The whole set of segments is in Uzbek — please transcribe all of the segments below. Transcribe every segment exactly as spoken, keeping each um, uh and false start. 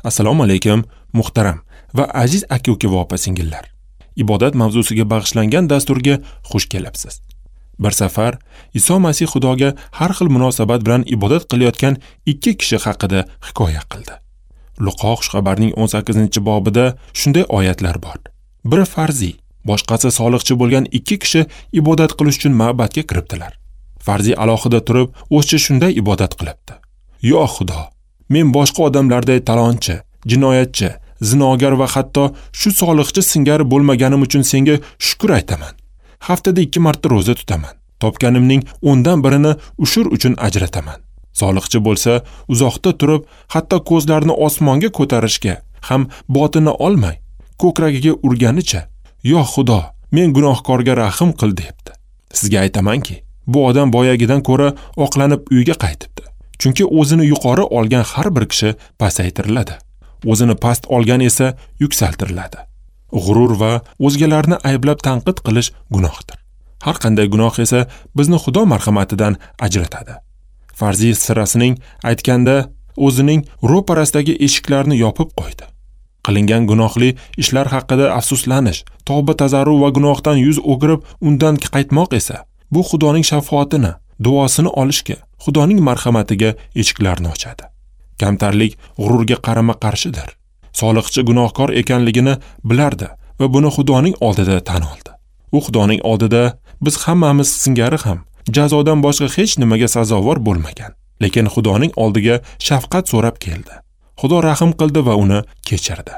Assalomu alaykum, muhtaram va aziz aka-uka va opa-singillar. Ibodat mavzusiga bag'ishlangan dasturga xush kelibsiz. Bir safar Iso Masih Xudoga har xil munosabat bilan ibodat qilayotgan ikki kishi haqida hikoya qildi. Luqo xushxabarning o'n sakkizinchi bobida shunday oyatlar bor. Biri farziy, boshqasi soliqchi bo'lgan ikki kishi ibodat qilish uchun ma'batga kiribdilar. Farziy alohida turib, o'zicha shunday ibodat qilibdi. Yo Xudo, men boshqa odamlarday talonchi, jinoyatchi, zinogar va hatto shu soliqchi singari bo'lmaganim uchun senga shukr aytaman. Haftada ikki marta ro'za tutaman. Topganimning o'ndan birini ushur uchun ajrataman. Soliqchi bo'lsa, uzoqda turib, hatto ko'zlarini osmonga ko'tarishga ham botina olmay, ko'kragiga urganicha, "Yo Xudo, men gunohkorga rahim qil" debdi. Sizga aytamanki, bu odam boyagidan ko'ra oqlanib uyga qaytibdi. Chunki o'zini yuqori olgan har bir kishi pasaytiriladi. O'zini past olgan esa yuksaltiriladi. G'urur va o'zgalarni ayblab tanqid qilish gunohdir. Har qanday gunoh esa bizni Xudo marhamatidan ajratadi. Farziy sirasining aytganda o'zining ro'parasidagi eshiklarni yopib qo'ydi. Qilingan gunohli ishlar haqida afsuslanish, tavba tazarru va gunohdan yuz o'girib undan qaytmoq esa bu Xudoning shafoatini, duosini olishga, Xudoning marhamatiga eshiklarni ochadi. Kamtarlik g'ururga qarama-qarshidir. Soliqchi gunohkor ekanligini bilardi va buni Xudoning oldida tan oldi. U Xudoning oldida biz hammamiz singari ham jazodan boshqa hech nimaga sazovor bo'lmagan, lekin Xudoning oldiga shafqat so'rab keldi. Xudo rahim qildi va uni kechirdi.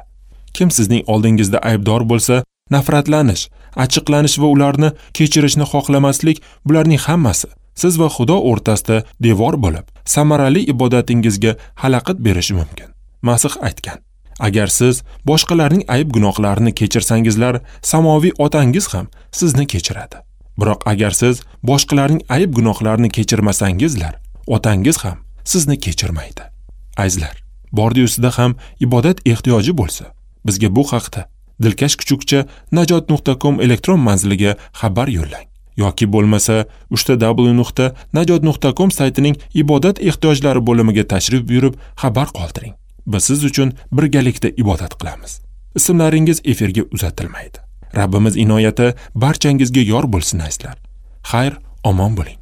Kim sizning oldingizda aybdor bo'lsa, nafratlanish, achchiqlanish va ularni kechirishni xohlamaslik, bularning hammasi siz va Xudo o'rtasida devor bo'lib, samarali ibodatingizga xalaqit berishi mumkin. Masih aytgan: agar siz boshqalarning ayb gunohlarini kechirsangizlar, samoviy otangiz ham sizni kechiradi. Biroq agar siz boshqalarning ayb gunohlarini kechirmasangizlar, otangiz ham sizni kechirmaydi. Azizlar, bordi-ustida ham ibodat ehtiyoji bo'lsa, bizga bu haqda dilkash kuchukcha najot nuqta com elektron manziliga xabar yo'llang yoki bo'lmasa uchta w nuqta najot nuqta com saytining ibodat ehtiyojlari bo'limiga tashrif buyurib xabar qoldiring. Biz siz uchun birgalikda ibodat qilamiz. Ismlaringiz efirga uzatilmaydi. Rabbimiz inoyati barchangizga yor bo'lsin azizlar. Xayr, omon bo'ling.